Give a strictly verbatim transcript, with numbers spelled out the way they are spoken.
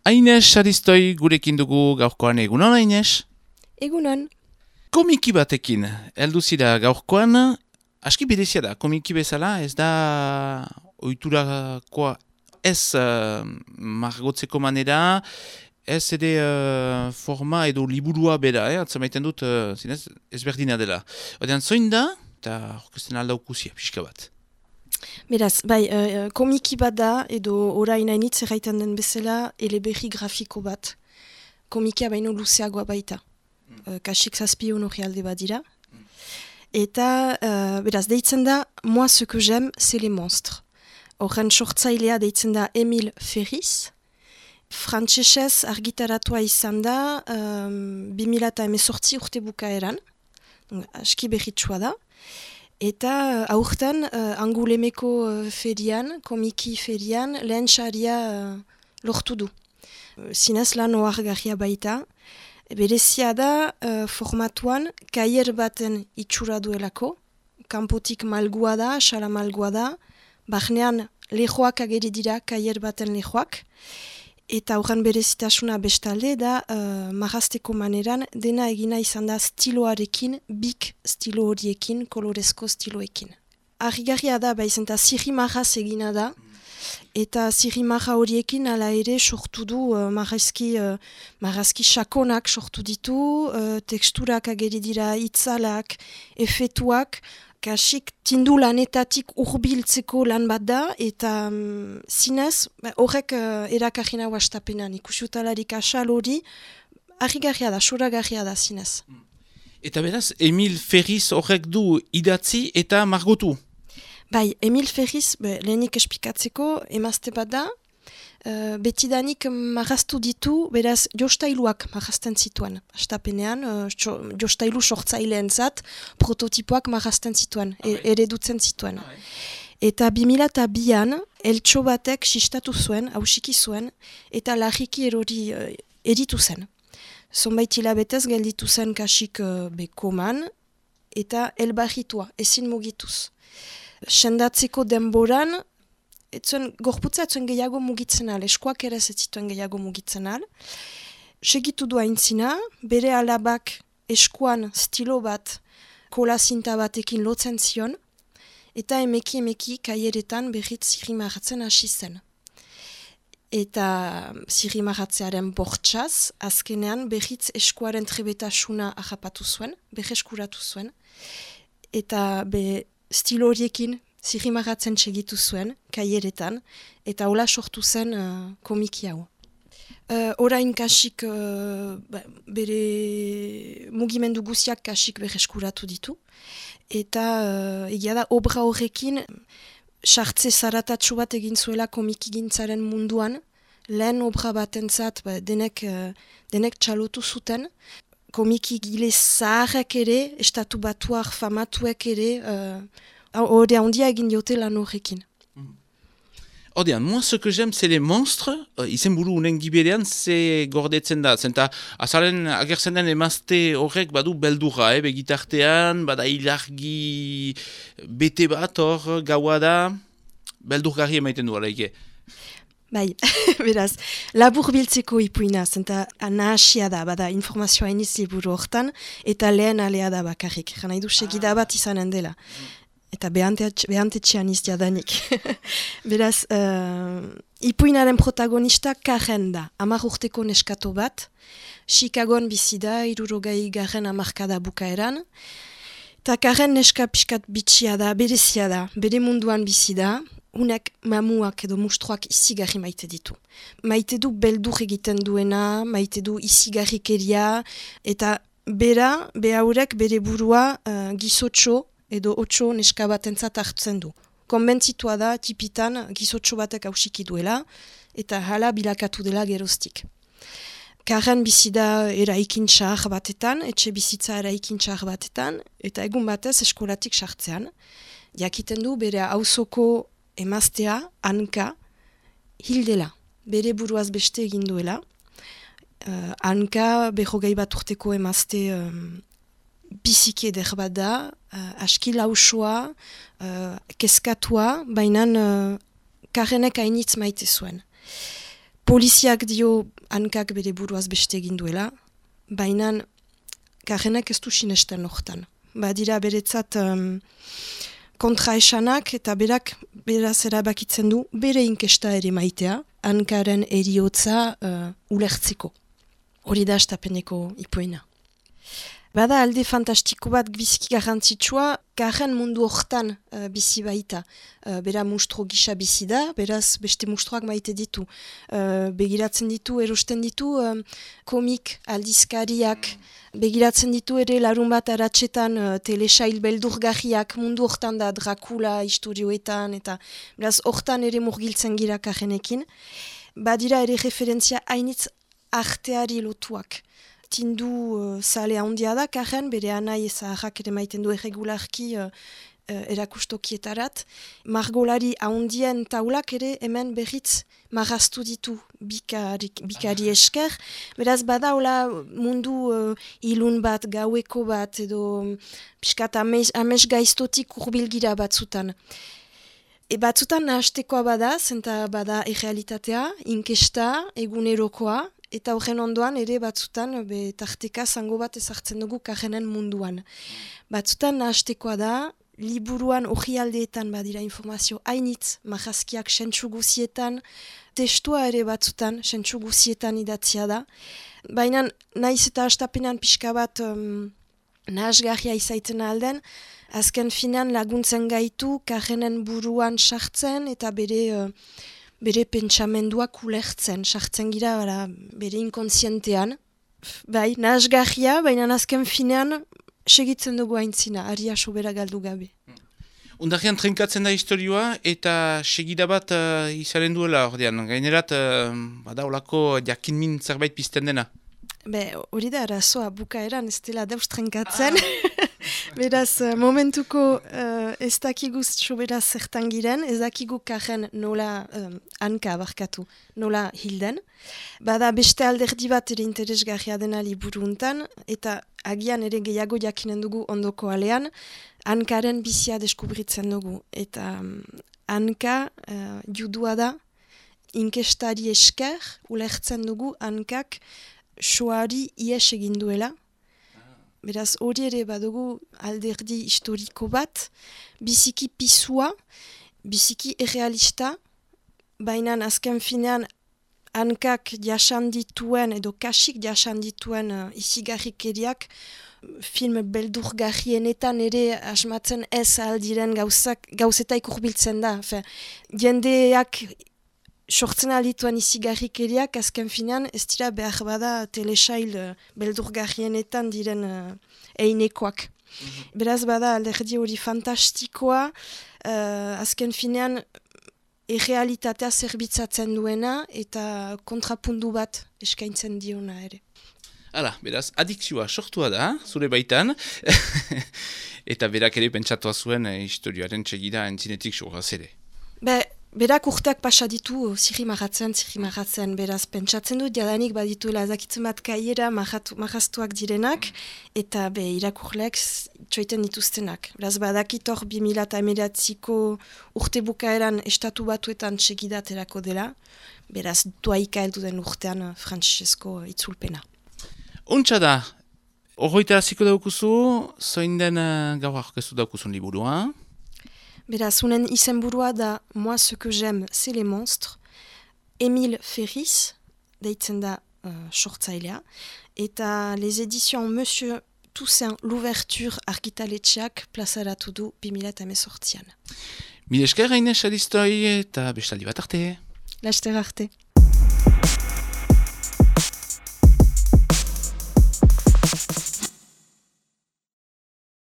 Aines Aristoi gurekin dugu gaurkoan, egunon Aines? Egunon. Komiki batekin, heldu zira gaurkoan, aski berezia da, komiki bezala, ez da ohiturakoa ez uh, margotzeko manera, ez ere uh, forma edo liburua bera, eh? Atzamaiten dut, uh, zinez, ezberdina dela. Odean, zoin da, eta orkesten aldaukusia, pixka bat. Beraz, bai, uh, komiki bat da, edo orain hainitz erraiten den bezala, eleberri grafiko bat. Komikia baino luzeagoa baita. Mm. Uh, kasik zazpion hori alde bat dira. Mm. Eta, uh, beraz, deitzen da, moi ce que j'aime, c'est les monstres. Horren sortzailea deitzen da Emil Ferriz. Frantsesez argitaratua izan da, um, bi mila hemezortzi urte bukaeran. Aski berritsua da. Eta uh, aurten uh, Angulemeko uh, ferian, komiki ferian, lehen saria uh, lortu du. Uh, zinez lan ohargarria baita. Berezia da uh, formatuan kaier baten itxura duelako. Kanpotik malgua da, xala malgua da. Barnean lehoak ageri dira kaier baten lehoak. Eta horren berezitasuna bestalde da uh, marrazteko maneran dena egina izan da stiloarekin, bik stilo horiekin, kolorezko stiloekin. Harrigarria da, baizenta zirri marraz egina da, eta zirri marra horiekin ala ere sortu du uh, marrazki, uh, marrazki sakonak sortu ditu, uh, teksturak ageri dira itzalak, efetuak, kasik tindu lanetatik urbiltzeko lan bat da, eta um, zinez, horrek uh, erakarri nahu astapenan, ikusutalarik asal hori, harrigarria da, soragarria da zinez. Eta beraz, Emil Ferriz horrek du idatzi eta margotu? Bai, Emil Ferriz, be, lehenik espikatzeko, emazte bat da, Uh, betidanik marraztu ditu, beraz, jostailuak marrazten zituen. Astapenean, uh, jostailu sortzaileen zat, prototipoak marrazten zituen, e, eredutzen zituen. Eta bi mila eta bian, eltxo batek sistatu zuen, hausiki zuen, eta larriki erori uh, eritu zen. Zonbait hilabetez gelditu zen kasik uh, bekoman, eta elbarritua, ezin mugituz. Sendatzeko denboran, etzuen, gorputza etzuen gehiago mugitzen al, eskuak ere ez zituen gehiago mugitzen al. Segitu du aintzina, bere alabak eskuan stilo bat, kola zinta batekin lotzen zion, eta emeki emeki kaieretan berriz zirri marratzen hasi zen. Eta zirri marratzearen bortxaz, azkenean berriz eskuaren trebetasuna ahapatu zuen, berreskuratu zuen, eta be stilo horiekin zirri marratzen segitu zuen, kaieretan, eta hola sortu zen uh, komiki hau. Uh, orain kasik uh, bere mugimendu guziak kasik berreskuratu ditu, eta uh, egia da obra horrekin sartze zaratatxo bat egin zuela komiki gintzaren munduan, lehen obra batentzat ba, denek, uh, denek txalotu zuten, komiki gile zaharrak ere, estatu batuak famatuek ere, uh, Hode handia egin diote lan horrekin. Odean, moi ce que j'aime, c'est les monstres. Uh, izen buru unen giberean, ze gordetzen da. Zenta, azalen agertzen den emazte horrek badu beldurra, eh? Begitartean, bada ilargi bete bat hor, gaua da, beldurgarri emaiten du, alaike. Bai, beraz, labur biltzeko ipuina, zenta nahasia da, bada informazioa iniz liburu hortan, eta lehen alea da bakarrik. Gana idu segida bat izanen dela. Eta behantetxean iztia danik. Beraz, uh, ipuinaren protagonista Karen da, hamar urteko neskato bat, Chicagoan bizi da, hirurogeita garren hamarkada bukaeran, eta Karen neska pixkat bitxia da, berezia da, bere munduan bizi da, unek mamuak edo mustruak izigarri maite ditu. Maite du beldur egiten duena, maite du izigarrikeria, eta bera, behaurek bere burua uh, gizotxo, edo otxo neska batentzat hartzen du. Konbentzitua da, tipitan, gizotxo batek hausiki duela, eta hala bilakatu dela geroztik. Karen bizi da eraikin txar batetan, etxe bizitza eraikin txar batetan, eta egun batez eskolatik sartzean. Jakiten du bere auzoko emaztea, Anka, hildela, bere buruaz beste egin duela. Uh, Anka, berrogei bat urteko emazte um, biziki eder bat da, uh, aski lausoa, uh, keskatua, baina uh, Karenek hainitz maite zuen. Poliziak dio hankak bere buruaz beste egin duela, baina Karenek ez du sinesten hortan. Badira beretzat um, kontraesanak eta berak beraz erabakitzen du bere inkesta ere maitea, hankaren eriotza uh, ulertzeko. Hori da astapeneko ipuena. Bada alde fantastiko bat biziki garrantzitsua, Karen mundu hortan uh, bizi baita. Uh, bera mustro gisa bizi da, beraz beste mustroak maite ditu. Uh, begiratzen ditu, erosten ditu, um, komik, aldizkariak, begiratzen ditu ere larun bat aratsetan uh, telesail beldurgarriak mundu hortan da Dracula historioetan, eta beraz hortan ere murgiltzen gira Karenekin. Badira ere referentzia hainitz arteari lotuak. Tindu uh, zale handia da, Karen, bere anai zaharrak ere maiten du erregularki uh, uh, erakustokietarat. Margolari handien taulak ere hemen berriz marraztu ditu bikari, bikari esker. Beraz bada hola mundu uh, ilun bat, gaueko bat, edo piskat ames, ames gaiztotik urbilgira batzutan. E batzutan nahastekoa bada, zenta bada errealitatea, inkesta, egunerokoa, eta horren ondoan ere batzutan be, tarteka zango bat ezartzen dugu Karenen munduan. Batzutan nahastekoa da, liburuan orrialdeetan badira informazio hainitz, marrazkiak sentsu guzietan, testua ere batzutan sentsu guzietan idatzia da. Baina naiz eta hastapenan pixka bat um, nahasgarria izaiten alden, azken finan laguntzen gaitu Karenen buruan sartzen eta bere... Uh, bere pentsamenduak ulertzen, sartzen gira bara, bere inkontzientean. Bai, nahasgarria, baina azken finean segitzen dugu aintzina, aria sobera galdu gabe. Undarrian trenkatzen da historioa eta segida bat uh, izaren duela ordean. Gainerat, uh, bada olako jakinmin zerbait pizten dena. Be, hori da arazoa bukaeran ez dela dauz trenkatzen. Ah. Beraz, momentuko uh, ez dakigu sobera zertan giren, ez dakigu Karen nola um, hanka abarkatu, nola hilden. Bada beste alderdi bat ere interesgarria dena liburu untan, eta agian ere gehiago jakinen dugu ondoko alean, hankaren bizia deskubritzen dugu. Eta um, hanka uh, judua da, inkestari esker, ulertzen dugu hankak soari ies egin duela. Beraz, hori ere badugu alderdi historiko bat, biziki pisua, biziki errealista, baina azken finean hankak jasan dituen edo kasik jasan dituen uh, izigarrikeriak film beldurgarrienetan ere asmatzen ez aldiren gauzak, gauzetaik urbiltzen da. Fe, jendeak sortzen aldituan izigarrikeriak azken finean ez dira behar bada telesail uh, beldurgarrienetan diren uh, einekoak. Mm-hmm. Beraz bada alderdi hori fantastikoa, uh, azken finean errealitatea zerbitzatzen duena eta kontrapundu bat eskaintzen diona ere. Hala, beraz, adikzioa sortua da, zure baitan, eta berak ere pentsatua zuen eh, historioaren txegida entzinetik sorraz ere. Be, berak urteak pasa ditu zirri marratzen, zirri marratzen, beraz pentsatzen dut jadanik badituela ezakitzen bat kaiera marraztuak direnak, eta be irakurleak txoiten dituztenak. Beraz badakit hor bi mila hemeretziko urte bukaeran estatu batuetan txegidaterako dela, beraz doaika heldu den urtean Frantzisko itzulpena. Untsa da, horroita hasiko daukuzu, zoin den uh, gaur aurkeztu daukuzun liburua? Beraz, unen izenburua da Moi ce que j'aime, c'est les monstres. Émile Ferris, deitzen da uh, sortzailea, eta les éditions Monsieur Toussaint l'ouverture argitaletxeak plazaratu du bi mila hemezortzian. Mil esker Haines Alistoi eta bestaldi bat arte. Laster arte.